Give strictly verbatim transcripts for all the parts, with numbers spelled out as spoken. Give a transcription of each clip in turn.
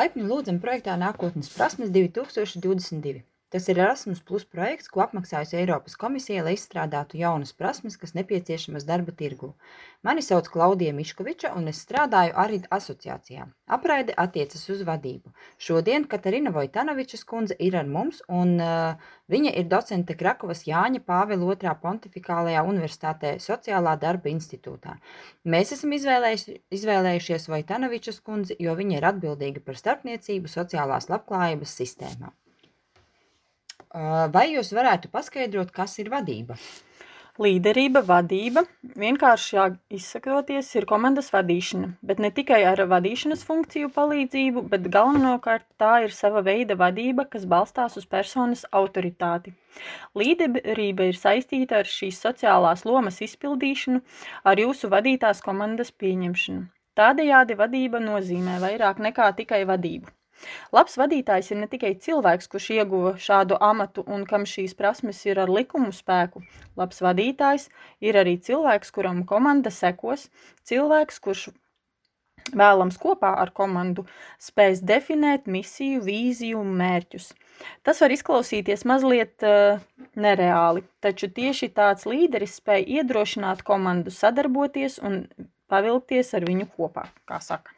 Laipni lūdzam projektā Nākotnes prasmes divi tūkstoši divdesmit divi. Tas ir Erasmus Plus projekts, ko apmaksājusi Eiropas komisija, lai izstrādātu jaunas prasmes, kas nepieciešamas darba tirgū. Mani sauc Klaudija Miškoviča, un es strādāju ARID asociācijā. Apraide attiecas uz vadību. Šodien Katarina Vojtanovičas kundze ir ar mums, un uh, viņa ir docente Krakovas Jāņa Pāvila otrā Pontifikālajā universitātē Sociālā darba institūtā. Mēs esam izvēlējuši, izvēlējušies Vojtanovičas kundzi, jo viņa ir atbildīga par starpniecību sociālās labklājības sistēmā. Vai jūs varētu paskaidrot, kas ir vadība? Līderība, vadība, vienkāršāk izsakoties, ir komandas vadīšana, bet ne tikai ar vadīšanas funkciju palīdzību, bet galvenokārt tā ir sava veida vadība, kas balstās uz personas autoritāti. Līderība ir saistīta ar šīs sociālās lomas izpildīšanu, ar jūsu vadītās komandas pieņemšanu. Tādējādi vadība nozīmē vairāk nekā tikai vadību. Labs vadītājs ir ne tikai cilvēks, kurš ieguva šādu amatu un kam šīs prasmes ir ar likumu spēku. Labs vadītājs ir arī cilvēks, kuram komanda sekos, cilvēks, kurš vēlams kopā ar komandu spēs definēt misiju, vīziju un mērķus. Tas var izklausīties mazliet uh, nereāli, taču tieši tāds līderis spēj iedrošināt komandu sadarboties un pavilkties ar viņu kopā, kā saka.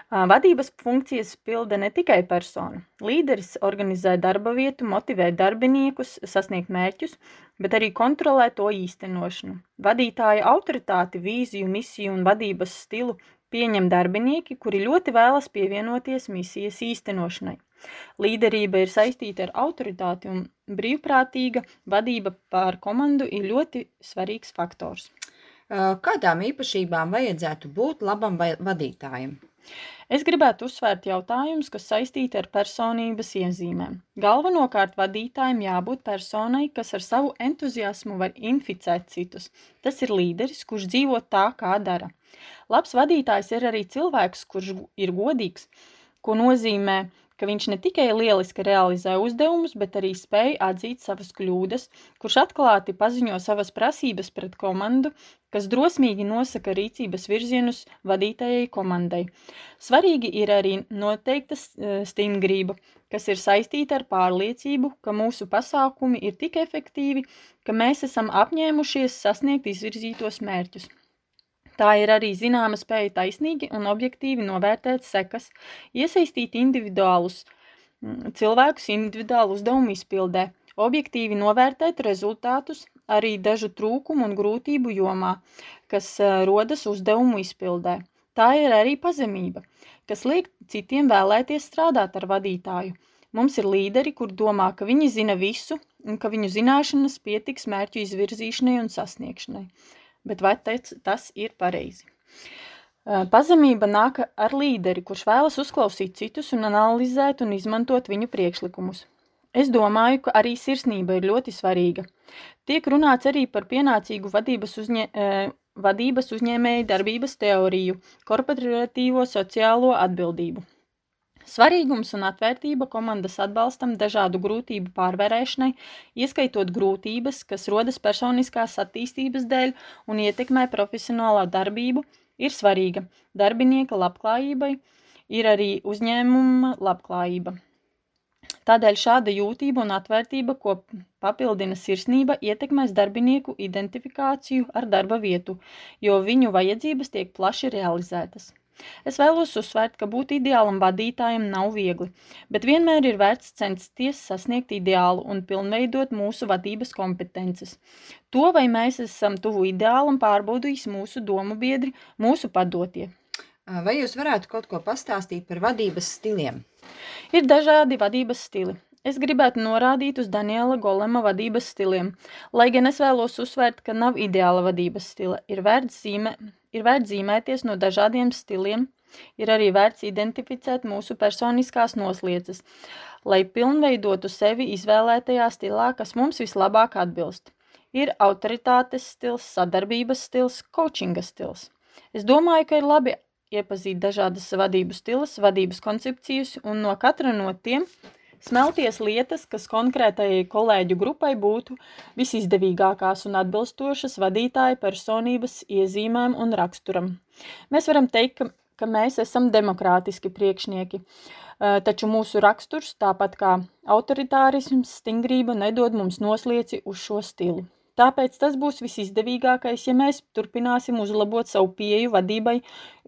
Vadības funkcijas pilda ne tikai persona. Līderis organizē darba vietu, motivē darbiniekus, sasniegt mērķus, bet arī kontrolē to īstenošanu. Vadītāja autoritāti, vīziju, misiju un vadības stilu pieņem darbinieki, kuri ļoti vēlas pievienoties misijas īstenošanai. Līderība ir saistīta ar autoritāti un brīvprātīga vadība pār komandu ir ļoti svarīgs faktors. Kādām īpašībām vajadzētu būt labam vadītājam? Es gribētu uzsvērt jautājumus, kas saistīti ar personības iezīmēm. Galvenokārt vadītājiem jābūt personai, kas ar savu entuziasmu var inficēt citus. Tas ir līderis, kurš dzīvo tā, kā dara. Labs vadītājs ir arī cilvēks, kurš ir godīgs, ko nozīmē, ka viņš ne tikai lieliski realizē uzdevumus, bet arī spēj atzīt savas kļūdas, kurš atklāti paziņo savas prasības pret komandu, kas drosmīgi nosaka rīcības virzienus vadītājai komandai. Svarīgi ir arī noteikta stingrība, kas ir saistīta ar pārliecību, ka mūsu pasākumi ir tik efektīvi, ka mēs esam apņēmušies sasniegt izvirzītos mērķus. Tā ir arī zināma spēja taisnīgi un objektīvi novērtēt sekas, iesaistīt individuālus cilvēkus individuālu uzdevumu izpildē, objektīvi novērtēt rezultātus, arī dažu trūkumu un grūtību jomā, kas rodas uzdevumu izpildē. Tā ir arī pazemība, kas liek citiem vēlēties strādāt ar vadītāju. Mums ir līderi, kur domā, ka viņi zina visu un ka viņu zināšanas pietiks mērķu izvirzīšanai un sasniegšanai. Bet vai tas ir pareizi? Pazemība nāk ar līderi, kurš vēlas uzklausīt citus un analizēt un izmantot viņu priekšlikumus. Es domāju, ka arī sirsnība ir ļoti svarīga. Tiek runāts arī par pienācīgu vadības, uzņē, vadības uzņēmēju darbības teoriju, korporatīvo sociālo atbildību. Svarīgums un atvērtība komandas atbalstam dažādu grūtību pārvarēšanai, ieskaitot grūtības, kas rodas personiskās attīstības dēļ un ietekmē profesionālā darbību, ir svarīga. Darbinieka labklājībai ir arī uzņēmuma labklājība. Tādēļ šāda jūtība un atvērtība, ko papildina sirsnība, ietekmēs darbinieku identifikāciju ar darba vietu, jo viņu vajadzības tiek plaši realizētas. Es vēlos uzsvērt, ka būt ideālam vadītājam nav viegli, bet vienmēr ir vērts censties sasniegt ideālu un pilnveidot mūsu vadības kompetences. To, vai mēs esam tuvu ideālam, pārbaudīs mūsu domu biedri, mūsu padotie. Vai jūs varētu kaut ko pastāstīt par vadības stiliem? Ir dažādi vadības stili. Es gribētu norādīt uz Daniela Golema vadības stiliem, lai gan es vēlos uzsvērt, ka nav ideāla vadības stila. Ir vērts zīmē, ir vērts zīmēties no dažādiem stiliem, ir arī vērts identificēt mūsu personiskās nosliecas, lai pilnveidotu sevi izvēlētajā stilā, kas mums vislabāk atbilst. Ir autoritātes stils, sadarbības stils, coachinga stils. Es domāju, ka ir labi iepazīt dažādas vadības stilas, vadības koncepcijas un no katra no tiem smelties lietas, kas konkrētajai kolēģu grupai būtu visizdevīgākās un atbilstošas vadītāja personības iezīmēm un raksturam. Mēs varam teikt, ka ka mēs esam demokrātiski priekšnieki, taču mūsu raksturs, tāpat kā autoritārisms, stingrība nedod mums noslieci uz šo stilu. Tāpēc tas būs visizdevīgākais, ja mēs turpināsim uzlabot savu pieeju vadībai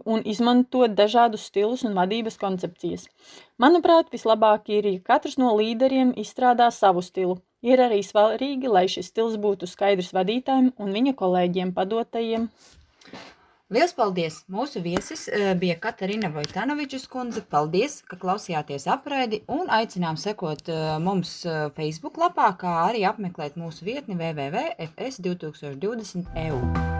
un izmantot dažādus stilus un vadības koncepcijas. Manuprāt, vislabāk ir, ja katrs no līderiem izstrādā savu stilu. Ir arī svarīgi, lai šis stils būtu skaidrs vadītājiem un viņa kolēģiem padotajiem. Liels paldies! Mūsu viesis bija Katarina Vojtanovičas kundze. Paldies, ka klausījāties apraidi un aicinām sekot mums Facebook lapā, kā arī apmeklēt mūsu vietni w w w punkt f s divtūkstoš divdesmit punkt e u.